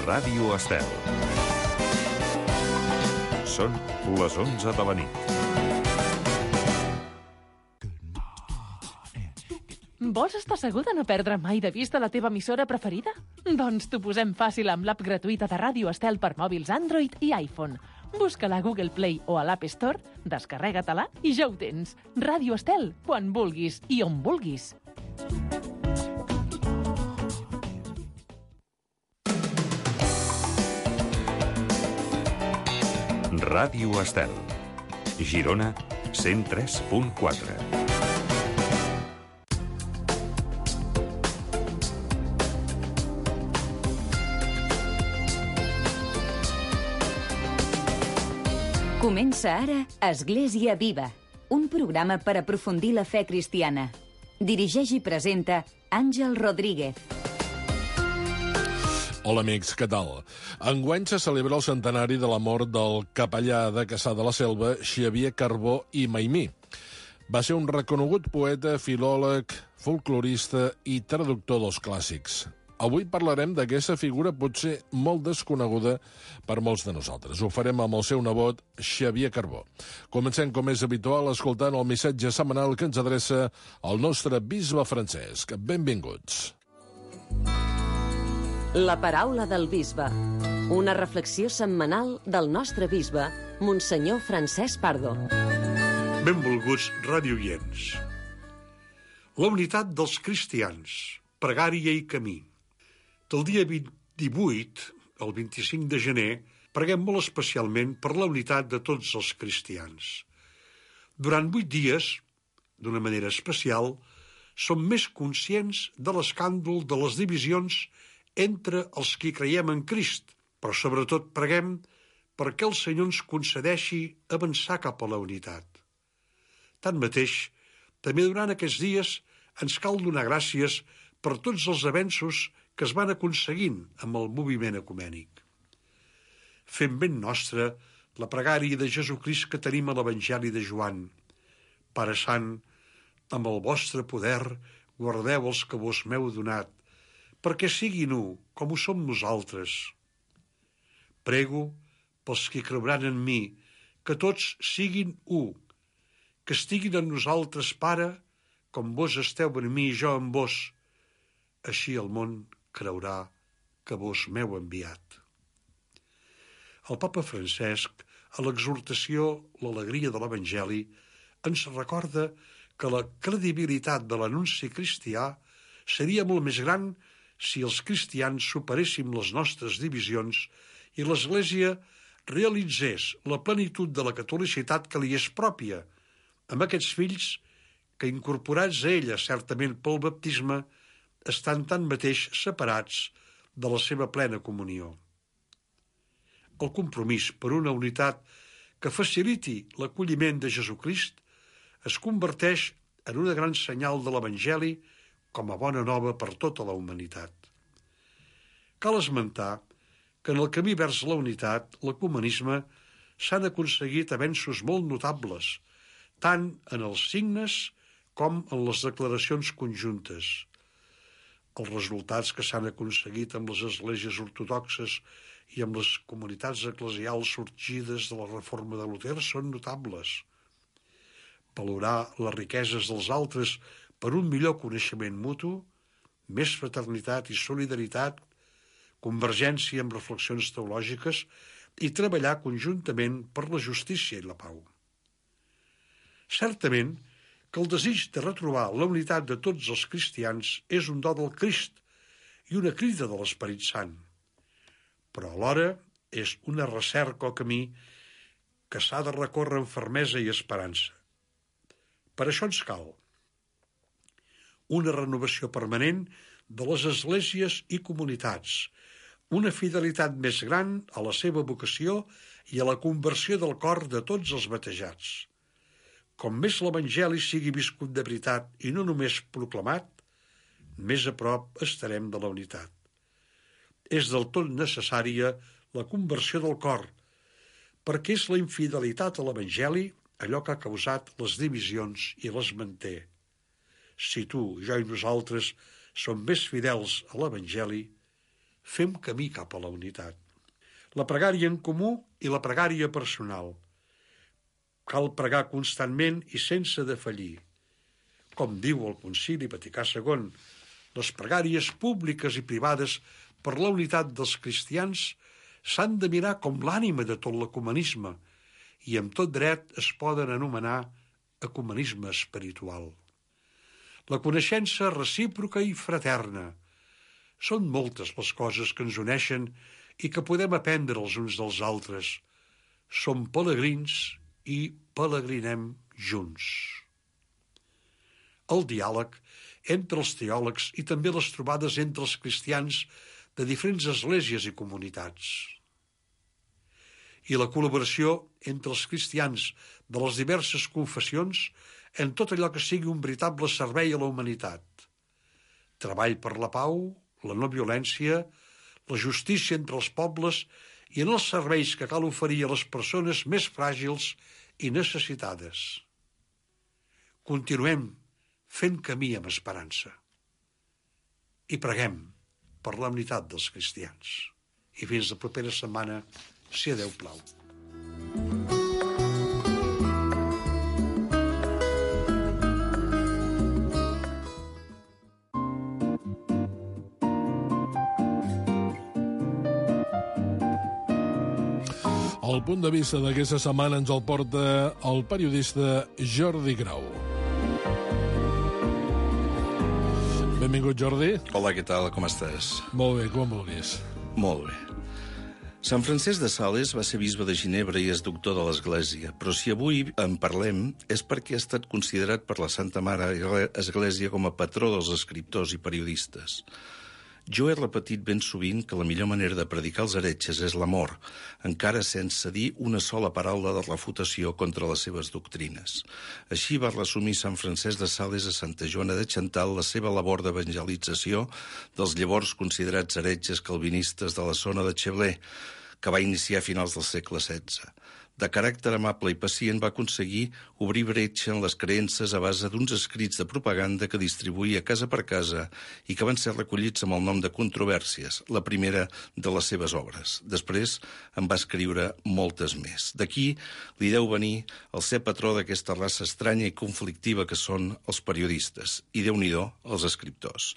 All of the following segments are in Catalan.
Ràdio Estel. Són les 11 de la nit. Vols estar segur de no perdre mai de vista la teva emissora preferida? Doncs t'ho posem fàcil amb l'app gratuïta de Ràdio Estel per mòbils Android i iPhone. Busca-la a Google Play o a l'App Store, descarrega-te-la i ja ho tens. Ràdio Estel, quan vulguis i on vulguis. Ràdio Estel. Girona, 103.4. Comença ara Església Viva, un programa per aprofundir la fe cristiana. Dirigeix i presenta Àngel Rodríguez. Hola amics, què tal? Enguany se celebra el centenari de la mort del capellà de Cassà de la Selva, Xavier Carbó i Maimí. Va ser un reconegut poeta, filòleg, folclorista i traductor dels clàssics. Avui parlarem d'aquesta figura potser molt desconeguda per molts de nosaltres. Ho farem amb el seu nebot, Xavier Carbó. Comencem, com és habitual, escoltant el missatge setmanal que ens adreça el nostre bisbe Francesc. Benvinguts. La paraula del bisbe. Una reflexió setmanal del nostre bisbe, Monsenyor Francesc Pardo. Benvolguts radioients. La unitat dels cristians, pregària i camí. Del dia 18 al 25 de gener preguem molt especialment per la unitat de tots els cristians. Durant 8 dies, d'una manera especial, som més conscients de l'escàndol de les divisions entre els qui creiem en Crist, però sobretot preguem perquè el Senyor ens concedeixi avançar cap a la unitat. Tanmateix, també durant aquests dies ens cal donar gràcies per tots els avenços que es van aconseguint amb el moviment ecumènic. Fem ben nostra la pregària de Jesucrist que tenim a l'Evangeli de Joan. Pare Sant, amb el vostre poder guardeu els que vos m'heu donat, perquè siguin u, com ho som nosaltres. Prego pels que creuran en mi, que tots siguin u, que estiguin en nosaltres, Pare, com vos esteu en mi i jo en vos. Així el món creurà que vos m'heu enviat. El papa Francesc, a l'exhortació L'alegria de l'Evangeli, ens recorda que la credibilitat de l'anunci cristià seria molt més gran si els cristians superéssim les nostres divisions i l'Església realitzés la plenitud de la catolicitat que li és pròpia, amb aquests fills que, incorporats a ella certament pel baptisme, estan tanmateix separats de la seva plena comunió. El compromís per una unitat que faciliti l'acolliment de Jesucrist es converteix en una gran senyal de l'Evangeli com a bona nova per tota la humanitat. Cal esmentar que en el camí vers la unitat, l'ecumenisme, s'han aconseguit avenços molt notables, tant en els signes com en les declaracions conjuntes. Els resultats que s'han aconseguit amb les esglésies ortodoxes i amb les comunitats eclesials sorgides de la reforma de Luter són notables. Valorar les riqueses dels altres per un millor coneixement mutu, més fraternitat i solidaritat, convergència amb reflexions teològiques i treballar conjuntament per la justícia i la pau. Certament que el desig de retrobar la unitat de tots els cristians és un do del Crist i una crida de l'Esperit Sant, però alhora és una recerca o camí que s'ha de recórrer amb fermesa i esperança. Per això ens cal una renovació permanent de les esglésies i comunitats, una fidelitat més gran a la seva vocació i a la conversió del cor de tots els batejats. Com més l'Evangeli sigui viscut de veritat i no només proclamat, més a prop estarem de la unitat. És del tot necessària la conversió del cor, perquè és la infidelitat a l'Evangeli allò que ha causat les divisions i les manté. Si tu, jo i nosaltres som més fidels a l'Evangeli, fem camí cap a la unitat. La pregària en comú i la pregària personal. Cal pregar constantment i sense defallir. Com diu el Concili Vaticà II, les pregàries públiques i privades per la unitat dels cristians s'han de mirar com l'ànima de tot l'ecumenisme i amb tot dret es poden anomenar ecumenisme espiritual. La coneixença recíproca i fraterna. Són moltes les coses que ens uneixen i que podem aprendre els uns dels altres. Som pelegrins i pelegrinem junts. El diàleg entre els teòlegs i també les trobades entre els cristians de diferents esglésies i comunitats. I la col·laboració entre els cristians de les diverses confessions en tot allò que sigui un veritable servei a la humanitat. Treball per la pau, la no violència, la justícia entre els pobles i en els serveis que cal oferir a les persones més fràgils i necessitades. Continuem fent camí amb esperança. I preguem per la unitat dels cristians. I fins la propera setmana, si a Déu plau. El punt de vista d'aquesta setmana ens el porta el periodista Jordi Grau. Benvingut, Jordi. Hola, què tal? Com estàs? Molt bé, com vulguis. Molt bé. Sant Francesc de Sales va ser bisbe de Ginebra i és doctor de l'Església, però si avui en parlem és perquè ha estat considerat per la Santa Mare Església com a patró dels escriptors i periodistes. Jo he repetit ben sovint que la millor manera de predicar els heretges és l'amor, encara sense dir una sola paraula de refutació contra les seves doctrines. Així va resumir Sant Francesc de Sales a Santa Joana de Chantal la seva labor d'evangelització dels llavors considerats heretges calvinistes de la zona de Cheblé, que va iniciar a finals del segle XVI. De caràcter amable i pacient va aconseguir obrir bretxa en les creences a base d'uns escrits de propaganda que distribuïa casa per casa i que van ser recollits amb el nom de Controvèrsies, la primera de les seves obres. Després en va escriure moltes més. D'aquí li deu venir el ser patró d'aquesta raça estranya i conflictiva que són els periodistes, i Déu-n'hi-do els escriptors.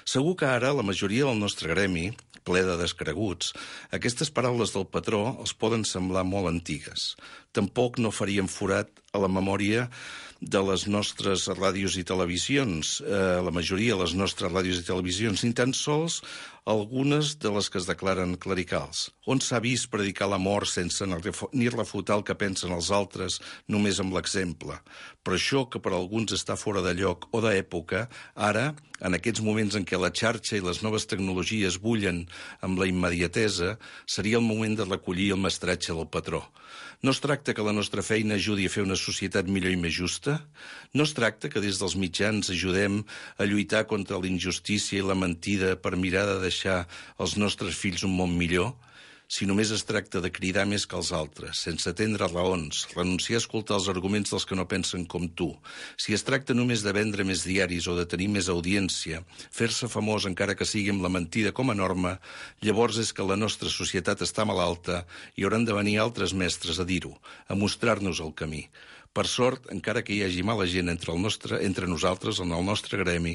Segur que ara la majoria del nostre gremi, ple de descreguts, aquestes paraules del patró els poden semblar molt antigues. Tampoc no farien forat a la memòria de les nostres ràdios i televisions, la majoria de les nostres ràdios i televisions, ni tan sols algunes de les que es declaren clericals, on s'ha vist predicar l'amor sense ni refutar el que pensen els altres, només amb l'exemple. Però això que per alguns està fora de lloc o d'època, ara, en aquests moments en què la xarxa i les noves tecnologies bullen amb la immediatesa, seria el moment de recollir el mestratge del patró. No es tracta que la nostra feina ajudi a fer una societat millor i més justa? No es tracta que des dels mitjans ajudem a lluitar contra la injustícia i la mentida per mirar de deixar als nostres fills un món millor? Si només es tracta de cridar més que els altres, sense atendre raons, renunciar a escoltar els arguments dels que no pensen com tu, si es tracta només de vendre més diaris o de tenir més audiència, fer-se famós encara que sigui amb la mentida com a norma, llavors és que la nostra societat està malalta i hauran de venir altres mestres a dir-ho, a mostrar-nos el camí. Per sort, encara que hi hagi mala gent entre nosaltres, en el nostre gremi,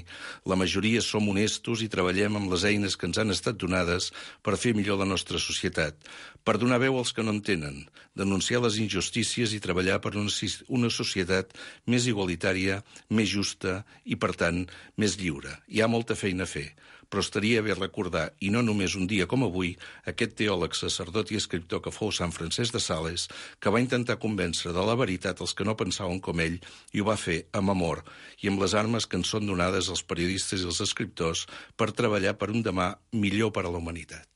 la majoria som honestos i treballem amb les eines que ens han estat donades per fer millor la nostra societat, per donar veu als que no en tenen, denunciar les injustícies i treballar per una societat més igualitària, més justa i, per tant, més lliure. Hi ha molta feina a fer, però estaria bé recordar, i no només un dia com avui, aquest teòleg, sacerdot i escriptor que fou Sant Francesc de Sales, que va intentar convèncer de la veritat els que no pensaven com ell, i ho va fer amb amor i amb les armes que ens són donades als periodistes i als escriptors per treballar per un demà millor per a la humanitat.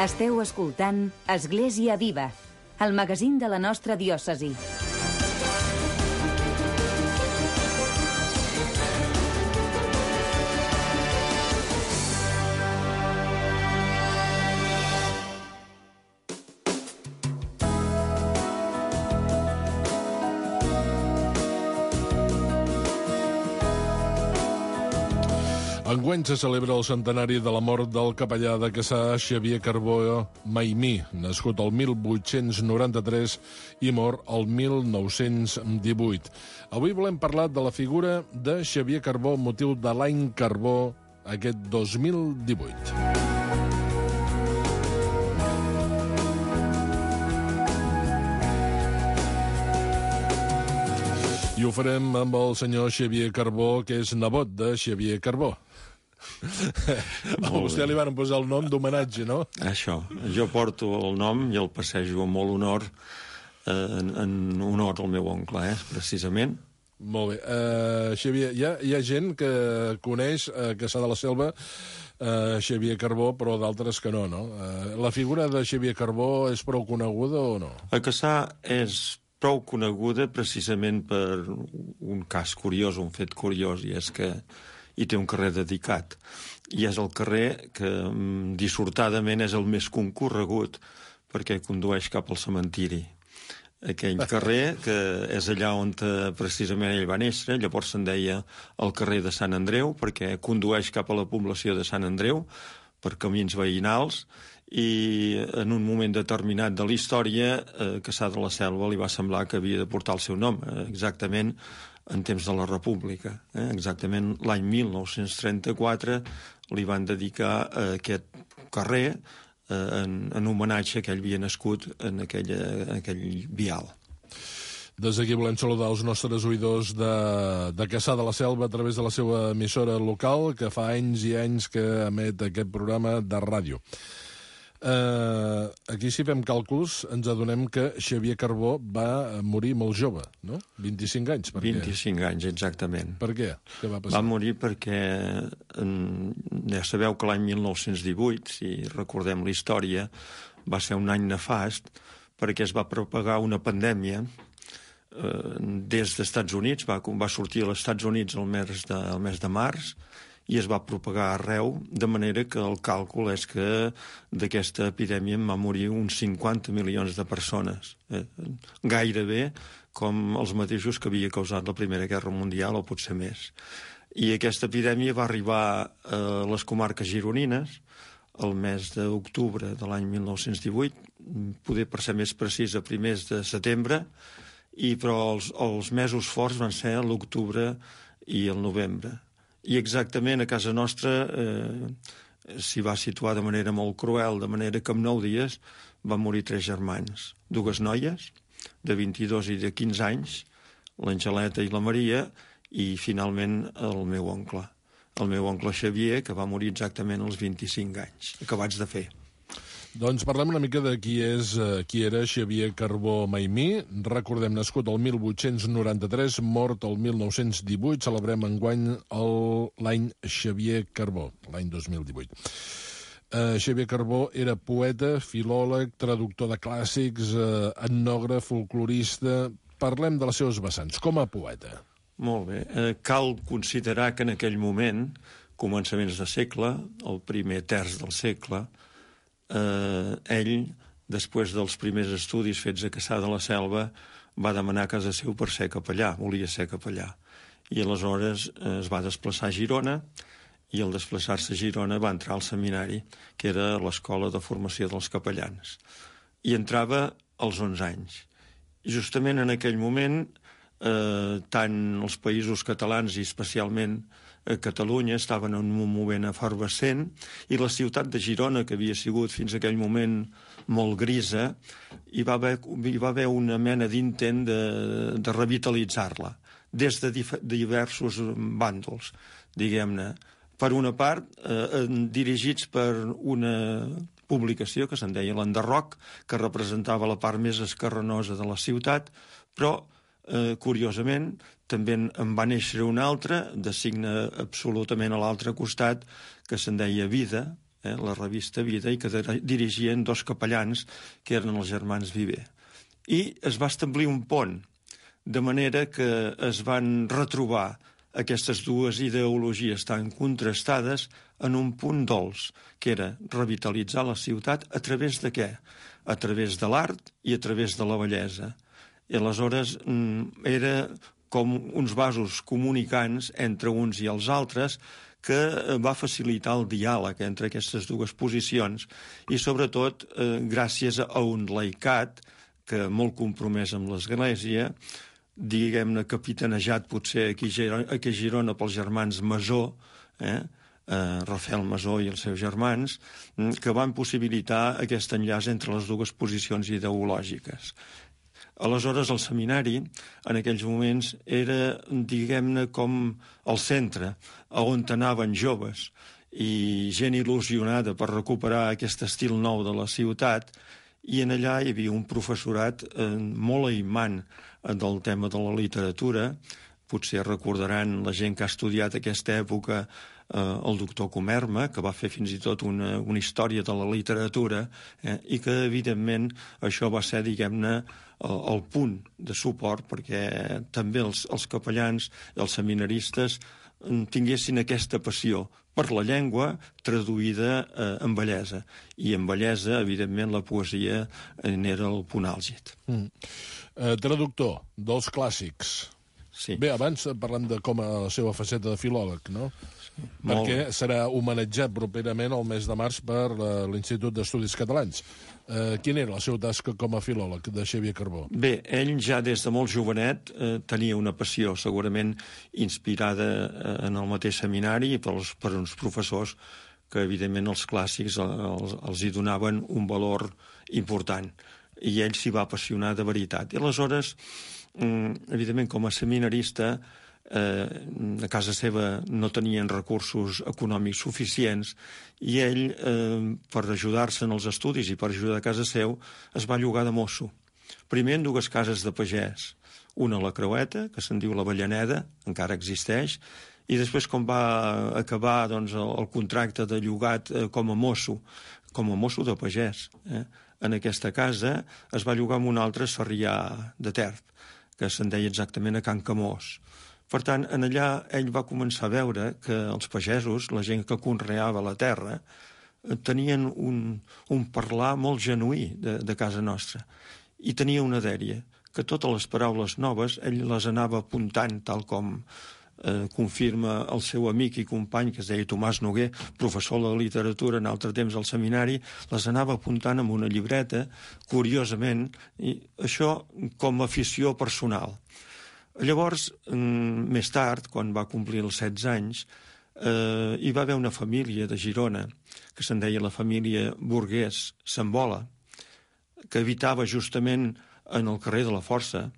Esteu escoltant Església Viva, el magazín de la nostra diòcesi. Enguany se celebra el centenari de la mort del capellà de Cassà, Xavier Carbó Maimí, nascut el 1893 i mort el 1918. Avui volem parlar de la figura de Xavier Carbó amb motiu de l'any Carbó aquest 2018. I ho farem amb el senyor Xavier Carbó, que és nebot de Xavier Carbó. A vostè li van posar el nom d'homenatge, no? Això. Jo porto el nom i el passejo amb molt honor, en honor al meu oncle, precisament. Molt bé. Xavier, hi ha gent que coneix a Cassà de la Selva Xavier Carbó, però d'altres que no, no? La figura de Xavier Carbó és prou coneguda o no? A Cassà és prou coneguda precisament per un cas curiós, un fet curiós, i és que hi té un carrer dedicat. I és el carrer que, dissortadament, és el més concorregut perquè condueix cap al cementiri. Aquell carrer, que és allà on precisament ell va néixer, llavors se'n deia el carrer de Sant Andreu, perquè condueix cap a la població de Sant Andreu, per camins veïnals, i en un moment determinat de la història, Cassà de la Selva li va semblar que havia de portar el seu nom, exactament en temps de la República. Exactament l'any 1934 li van dedicar aquest carrer en homenatge que ell havia nascut en aquell vial. Des d'aquí volem saludar els nostres oïdors de Cassà de la Selva a través de la seva emissora local, que fa anys i anys que emet aquest programa de ràdio. Aquí, si fem càlculs, ens adonem que Xavier Carbó va morir molt jove, no? 25 anys. 25 anys, exactament. Per què? Què va passar? Va morir perquè, ja sabeu que l'any 1918, si recordem la història, va ser un any nefast perquè es va propagar una pandèmia des dels Estats Units, va sortir als Estats Units el mes de març, i es va propagar arreu, de manera que el càlcul és que d'aquesta epidèmia en va morir uns 50 milions de persones, gairebé com els mateixos que havia causat la Primera Guerra Mundial, o potser més. I aquesta epidèmia va arribar a les comarques gironines el mes d'octubre de l'any 1918, poder per ser més precís a primers de setembre, però els mesos forts van ser l'octubre i el novembre. I exactament a casa nostra s'hi va situar de manera molt cruel, de manera que en 9 dies van morir 3 germans. 2 noies, de 22 i de 15 anys, l'Angeleta i la Maria, i finalment el meu oncle Xavier, que va morir exactament als 25 anys, acabats de fer. Doncs parlem una mica de qui era Xavier Carbó Maimí. Recordem, nascut el 1893, mort el 1918. Celebrem enguany l'any Xavier Carbó, l'any 2018. Xavier Carbó era poeta, filòleg, traductor de clàssics, etnògraf, folclorista. Parlem de les seves vessants. Com a poeta? Molt bé. Cal considerar que en aquell moment, començaments de segle, el primer terç del segle, ell, després dels primers estudis fets a Cassà de la Selva, va demanar a casa seu per ser capellà, volia ser capellà. I aleshores es va desplaçar a Girona, i al desplaçar-se a Girona va entrar al seminari, que era l'escola de formació dels capellans. I entrava als 11 anys. I justament en aquell moment, tant els països catalans i especialment Catalunya estaven en un moment efervescent, i la ciutat de Girona, que havia sigut fins a aquell moment molt grisa, hi va haver una mena d'intent de revitalitzar-la, des de diversos bàndols, diguem-ne. Per una part, dirigits per una publicació que se'n deia l'Enderroc, que representava la part més esquerranosa de la ciutat, però curiosament, també en va néixer una altra, de signe absolutament a l'altre costat, que se'n deia Vida, la revista Vida, i que dirigien 2 capellans, que eren els germans Viver. I es va establir un pont, de manera que es van retrobar aquestes dues ideologies tan contrastades en un punt dolç, que era revitalitzar la ciutat a través de què? A través de l'art i a través de la bellesa. I aleshores era com uns vasos comunicants entre uns i els altres, que va facilitar el diàleg entre aquestes dues posicions i, sobretot, gràcies a un laicat que molt compromès amb l'Església, diguem-ne capitanejat potser aquí a Girona pels germans Masó, Rafael Masó i els seus germans, que van possibilitar aquest enllaç entre les dues posicions ideològiques. Aleshores, el seminari, en aquells moments, era, diguem-ne, com el centre, on anaven joves i gent il·lusionada per recuperar aquest estil nou de la ciutat, i en allà hi havia un professorat molt aimant del tema de la literatura. Potser recordaran la gent que ha estudiat aquesta època el doctor Comerma, que va fer fins i tot una història de la literatura, i que, evidentment, això va ser, diguem-ne, el punt de suport perquè també els capellans i els seminaristes tinguessin aquesta passió per la llengua traduïda en bellesa. I en bellesa, evidentment, la poesia n'era el punt àlgid. Traductor dels clàssics. Sí. Bé, abans parlem de com a la seva faceta de filòleg, no? Sí, perquè serà homenatjat properament el mes de març per l'Institut d'Estudis Catalans. Quina era la seva tasca com a filòleg de Xavier Carbó? Bé, ell ja des de molt jovenet tenia una passió segurament inspirada en el mateix seminari i per uns professors que evidentment els clàssics els hi donaven un valor important i ell s'hi va apassionar de veritat. I aleshores, evidentment, com a seminarista, a casa seva no tenien recursos econòmics suficients i ell, per ajudar-se en els estudis i per ajudar a casa seu, es va llogar de mosso. Primer en dues cases de pagès, una a la Creueta, que se'n diu la Avellaneda, encara existeix, i després quan va acabar el contracte de llogat com a mosso de pagès, en aquesta casa es va llogar amb un altre a Sarrià de Ter, que se'n deia exactament a Can Camós. Per tant, en allà ell va començar a veure que els pagesos, la gent que conreava la terra, tenien un parlar molt genuí de casa nostra. I tenia una dèria, que totes les paraules noves ell les anava apuntant, tal com confirma el seu amic i company, que es deia Tomàs Noguer, professor de literatura en altre temps al seminari, les anava apuntant en una llibreta, curiosament, i això com a afició personal. Llavors, més tard, quan va complir els 16 anys, hi va haver una família de Girona, que se'n deia la família Burguès Sambola, que habitava justament en el carrer de la Força,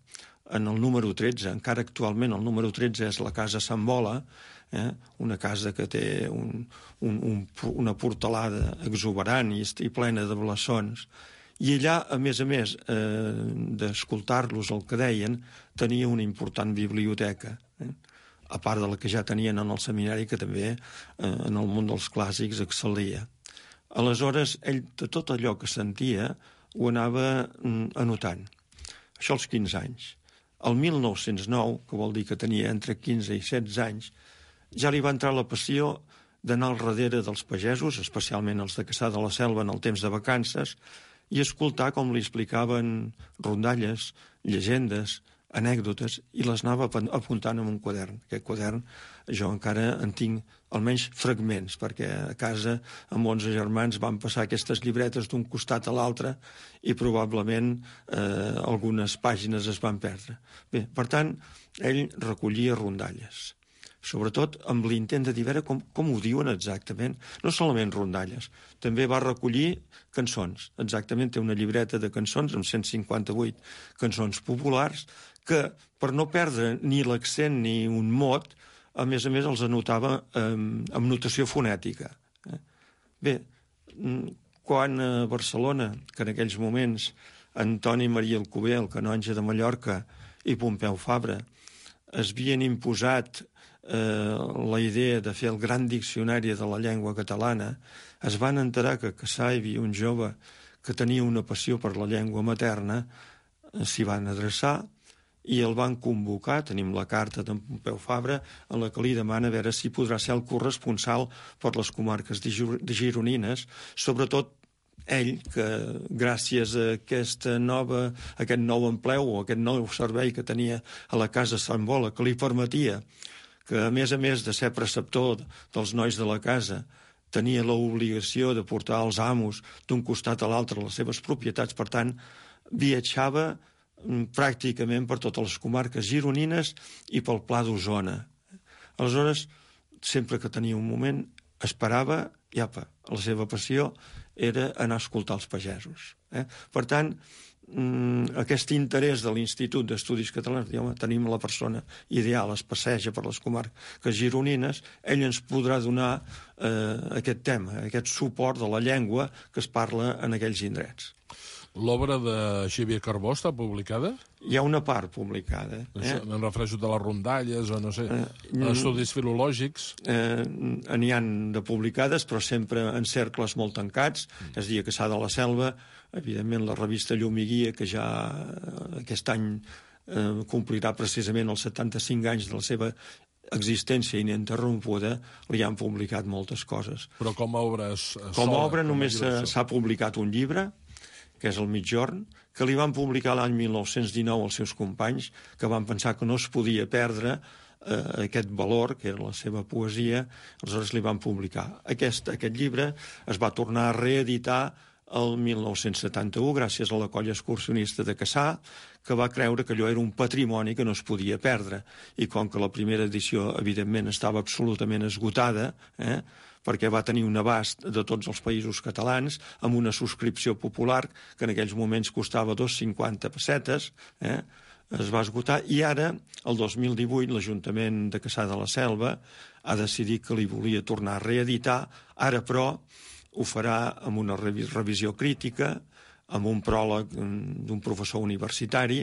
en el número 13. Encara actualment el número 13 és la Casa Sambola, una casa que té una portalada exuberant i plena de blasons. I allà, a més d'escoltar-los el que deien, tenia una important biblioteca, a part de la que ja tenien en el seminari, que també en el món dels clàssics excel·lia. Aleshores, ell de tot allò que sentia ho anava anotant. Això als 15 anys. El 1909, que vol dir que tenia entre 15 i 16 anys, ja li va entrar la passió d'anar al darrere dels pagesos, especialment els de Cassà de la Selva en el temps de vacances, i escoltar com li explicaven rondalles, llegendes, anècdotes, i les anava apuntant en un quadern. Aquest quadern jo encara en tinc almenys fragments, perquè a casa amb 11 germans van passar aquestes llibretes d'un costat a l'altre i probablement algunes pàgines es van perdre. Bé, per tant, ell recollia rondalles, sobretot amb l'intent de dir com ho diuen exactament, no solament rondalles, també va recollir cançons, exactament té una llibreta de cançons amb 158 cançons populars que, per no perdre ni l'accent ni un mot, a més els anotava amb notació fonètica. Bé, quan a Barcelona, que en aquells moments Antoni Maria Alcover, el canonge de Mallorca, i Pompeu Fabra es havien imposat la idea de fer el gran diccionari de la llengua catalana, es van enterar que a Cassà hi havia un jove que tenia una passió per la llengua materna, s'hi van adreçar i el van convocar, tenim la carta d'en Pompeu Fabra, en la que li demana a veure si podrà ser el corresponsal per les comarques gironines, sobretot ell, que gràcies a aquest nou empleu o aquest nou servei que tenia a la Casa Sambola, que li permetia que a més de ser preceptor dels nois de la casa, tenia l'obligació de portar els amos d'un costat a l'altre a les seves propietats, per tant, viatjava pràcticament per totes les comarques gironines i pel Pla d'Osona. Aleshores, sempre que tenia un moment, esperava, i apa, la seva passió era anar a escoltar els pagesos. Per tant, aquest interès de l'Institut d'Estudis Catalans, home, tenim la persona ideal, es passeja per les comarques gironines, ell ens podrà donar aquest tema, aquest suport de la llengua que es parla en aquells indrets. L'obra de Xavier Carbó està publicada? Hi ha una part publicada. Em refereixo de les rondalles o no sé, estudis filològics. N'hi han de publicades, però sempre en cercles molt tancats. És a dir, a Cassà de la Selva, evidentment la revista Llum i Guia, que ja aquest any complirà precisament els 75 anys de la seva existència ininterrompuda, li han publicat moltes coses. Però com a obra sola? Com a obra només s'ha publicat un llibre, que és el Migjorn, que li van publicar l'any 1919 els seus companys, que van pensar que no es podia perdre aquest valor, que era la seva poesia, aleshores li van publicar. Aquest llibre es va tornar a reeditar el 1971, gràcies a la colla excursionista de Cassà, que va creure que allò era un patrimoni que no es podia perdre. I com que la primera edició, evidentment, estava absolutament esgotada, perquè va tenir un abast de tots els països catalans, amb una subscripció popular que en aquells moments costava 2,50 pessetes, es va esgotar, i ara, el 2018, l'Ajuntament de Cassà de la Selva ha decidit que li volia tornar a reeditar, ara però ho farà amb una revisió crítica, amb un pròleg d'un professor universitari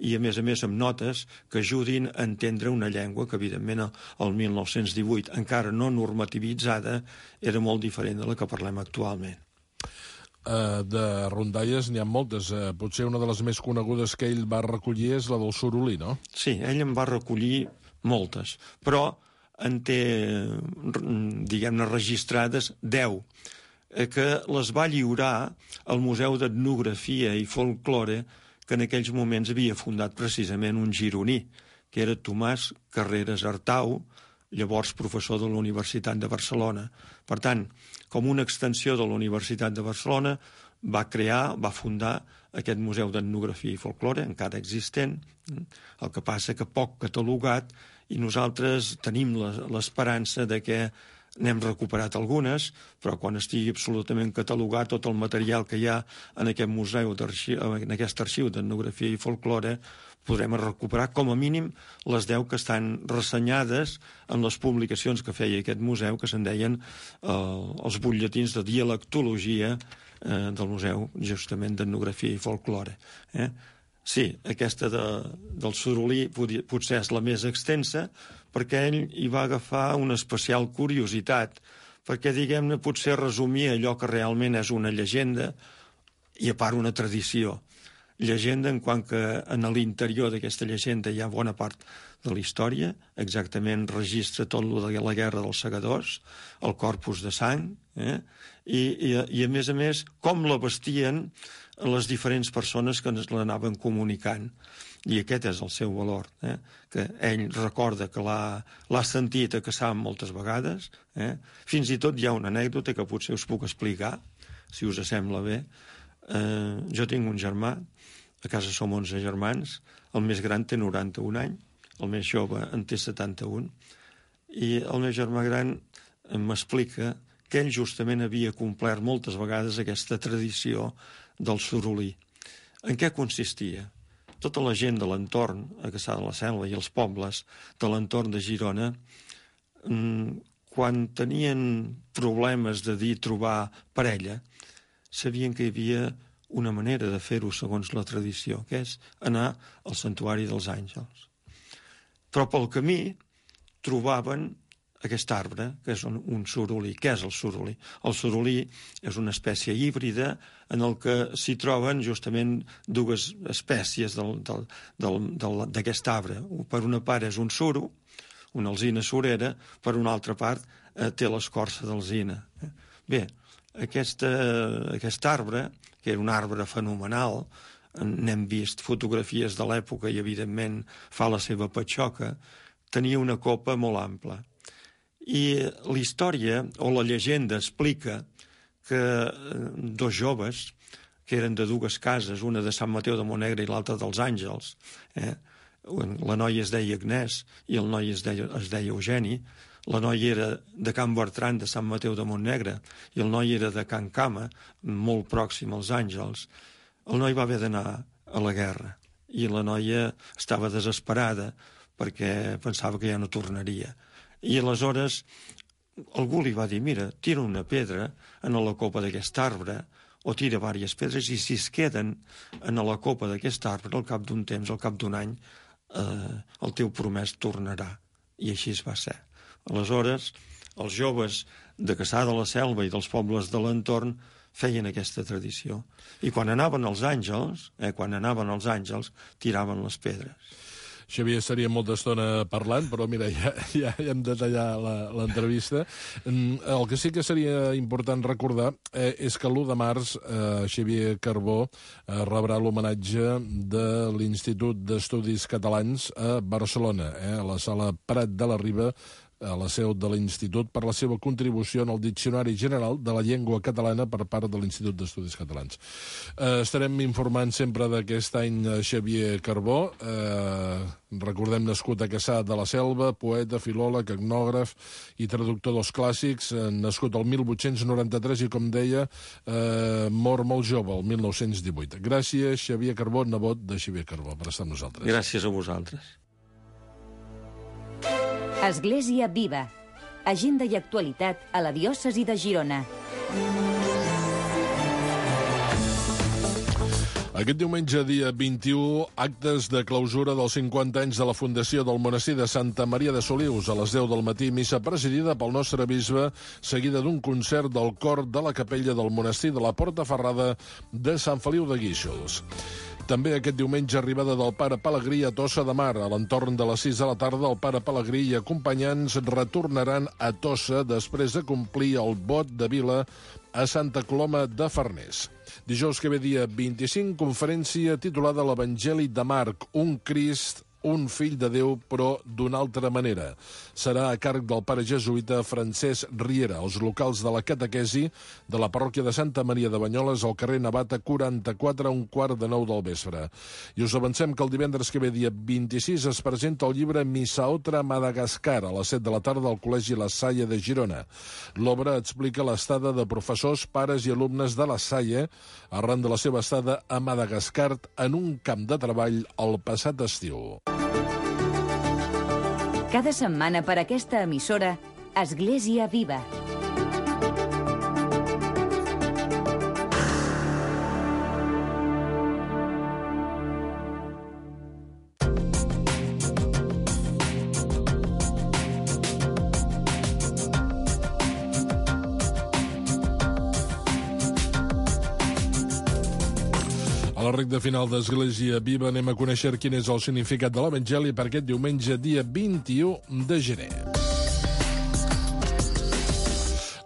i, a més, amb notes que ajudin a entendre una llengua que, evidentment, el 1918, encara no normativitzada, era molt diferent de la que parlem actualment. De rondalles n'hi ha moltes. Potser una de les més conegudes que ell va recollir és la del Sorolí, no? Sí, ell en va recollir moltes, però en té, diguem-ne, registrades 10, que les va lliurar al Museu d'Etnografia i Folklore, que en aquells moments havia fundat precisament un gironí, que era Tomàs Carreras Artau, llavors professor de la Universitat de Barcelona. Per tant, com una extensió de la Universitat de Barcelona, va fundar aquest Museu d'Etnografia i Folklore, encara existent, el que passa que poc catalogat, i nosaltres tenim l'esperança de que n'hem recuperat algunes, però quan estigui absolutament catalogat tot el material que hi ha en aquest museu, en aquest arxiu d'etnografia i folklore, podrem recuperar com a mínim les 10 que estan ressenyades en les publicacions que feia aquest museu, que se'n deien els butlletins de dialectologia del Museu, justament, d'Etnografia i Folklore. Sí, aquesta del Sorolí potser és la més extensa, perquè ell hi va agafar una especial curiositat, perquè, diguem-ne, potser resumia allò que realment és una llegenda i, a part, una tradició. Llegenda en quant que en l'interior d'aquesta llegenda hi ha bona part de la història, exactament registra tot el de la Guerra dels Segadors, el corpus de sang, i a més, com la vestien les diferents persones que ens l'anaven comunicant. I aquest és el seu valor, que ell recorda que l'ha sentit a Cassà moltes vegades. Fins i tot hi ha una anècdota que potser us puc explicar, si us sembla bé. Jo tinc un germà, a casa som 11 germans, el més gran té 91 anys, el més jove en té 71, i el meu germà gran m'explica que ell justament havia complert moltes vegades aquesta tradició del Sorolí. En què consistia? Tota la gent de l'entorn, a Cassà de la Selva i els pobles de l'entorn de Girona, quan tenien problemes de trobar parella, sabien que hi havia una manera de fer-ho segons la tradició, que és anar al Santuari dels Àngels. Però pel camí trobaven aquest arbre, que és un sorolí. Què és el sorolí? El sorolí és una espècie híbrida en el que s'hi troben justament dues espècies d'aquest arbre. Per una part és un suro, una alzina surera, per una altra part té l'escorça d'alzina. Bé, aquest arbre, que era un arbre fenomenal, n'hem vist fotografies de l'època i, evidentment, fa la seva patxoca, tenia una copa molt ampla. I la història o la llegenda explica que dos joves, que eren de dues cases, una de Sant Mateu de Montnegre i l'altra dels Àngels, la noia es deia Agnès i el noi es deia Eugeni, la noia era de Can Bertran de Sant Mateu de Montnegre i el noi era de Can Cama, molt pròxim als Àngels. El noi va haver d'anar a la guerra i la noia estava desesperada perquè pensava que ja no tornaria. I aleshores algú li va dir, mira, tira una pedra en la copa d'aquest arbre, o tira diverses pedres, i si es queden en la copa d'aquest arbre, al cap d'un temps, al cap d'un any, el teu promès tornarà. I així es va ser. Aleshores, els joves de Cassà de la Selva i dels pobles de l'entorn feien aquesta tradició. I quan anaven els àngels, tiraven les pedres. Xavier, estaria molta estona parlant, però mira, ja hem de tallar l'entrevista. El que sí que seria important recordar és que l'1 de març Xavier Carbó rebrà l'homenatge de l'Institut d'Estudis Catalans a Barcelona, a la sala Prat de la Riba, a la seu de l'Institut, per la seva contribució en el Diccionari General de la Llengua Catalana per part de l'Institut d'Estudis Catalans. Estarem informant sempre d'aquest any Xavier Carbó, recordem, nascut a Cassà de la Selva, poeta, filòleg, etnògraf i traductor dels clàssics, nascut el 1893 i, com deia, mor molt jove, el 1918. Gràcies, Xavier Carbó, nebot de Xavier Carbó, per estar amb nosaltres. Gràcies a vosaltres. Església Viva. Agenda i actualitat a la diòcesi de Girona. Aquest diumenge, dia 21, actes de clausura dels 50 anys de la fundació del monestir de Santa Maria de Solius. A les 10 del matí, missa presidida pel nostre bisbe, seguida d'un concert del cor de la capella del monestir de la Porta Ferrada de Sant Feliu de Guíxols. També aquest diumenge, arribada del pare Pelegrí a Tossa de Mar. A l'entorn de les 6 de la tarda, el pare Pelegrí i acompanyants retornaran a Tossa després de complir el vot de vila a Santa Coloma de Farners. Dijous que ve, dia 25, conferència titulada l'Evangeli de Marc, un Crist, un fill de Déu, però d'una altra manera. Serà a càrrec del pare jesuïta Francesc Riera, als locals de la catequesi de la parròquia de Santa Maria de Banyoles, al carrer Navata 44, a 8:45 del vespre. I us avancem que el divendres que ve, dia 26, es presenta el llibre Missaotra Madagascar, a les 7 de la tarda al Col·legi La Salle de Girona. L'obra explica l'estada de professors, pares i alumnes de La Salle arran de la seva estada a Madagascar en un camp de treball el passat estiu. Cada setmana per aquesta emissora, Església Viva. A la recta final d'Església Viva anem a conèixer quin és el significat de l'Evangeli per aquest diumenge, dia 21 de gener.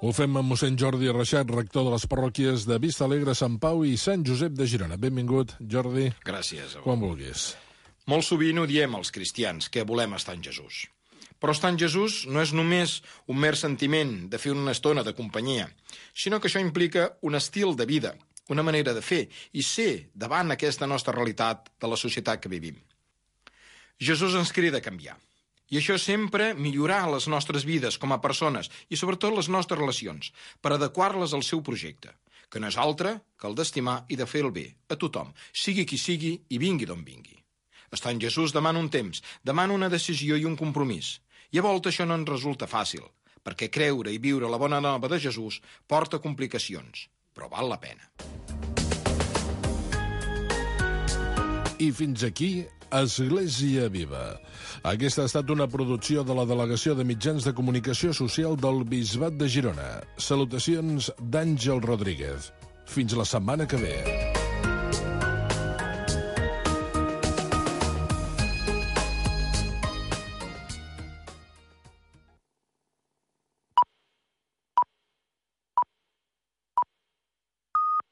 Ho fem amb mossèn Jordi Reixat, rector de les parròquies de Vista Alegre, Sant Pau i Sant Josep de Girona. Benvingut, Jordi. Gràcies. Quan vulguis. Molt sovint ho diem els cristians, que volem estar en Jesús. Però estar en Jesús no és només un mer sentiment de fer una estona de companyia, sinó que això implica un estil de vida, una manera de fer i ser davant aquesta nostra realitat de la societat que vivim. Jesús ens crida a canviar. I això sempre millorar les nostres vides com a persones i sobretot les nostres relacions per adequar-les al seu projecte, que no és altre que el d'estimar i de fer el bé a tothom, sigui qui sigui i vingui d'on vingui. Estar en Jesús demana un temps, demana una decisió i un compromís. I a volta això no ens resulta fàcil, perquè creure i viure la bona nova de Jesús porta complicacions, però val la pena. I fins aquí, Església Viva. Aquesta ha estat una producció de la Delegació de Mitjans de Comunicació Social del Bisbat de Girona. Salutacions d'Àngel Rodríguez. Fins la setmana que ve.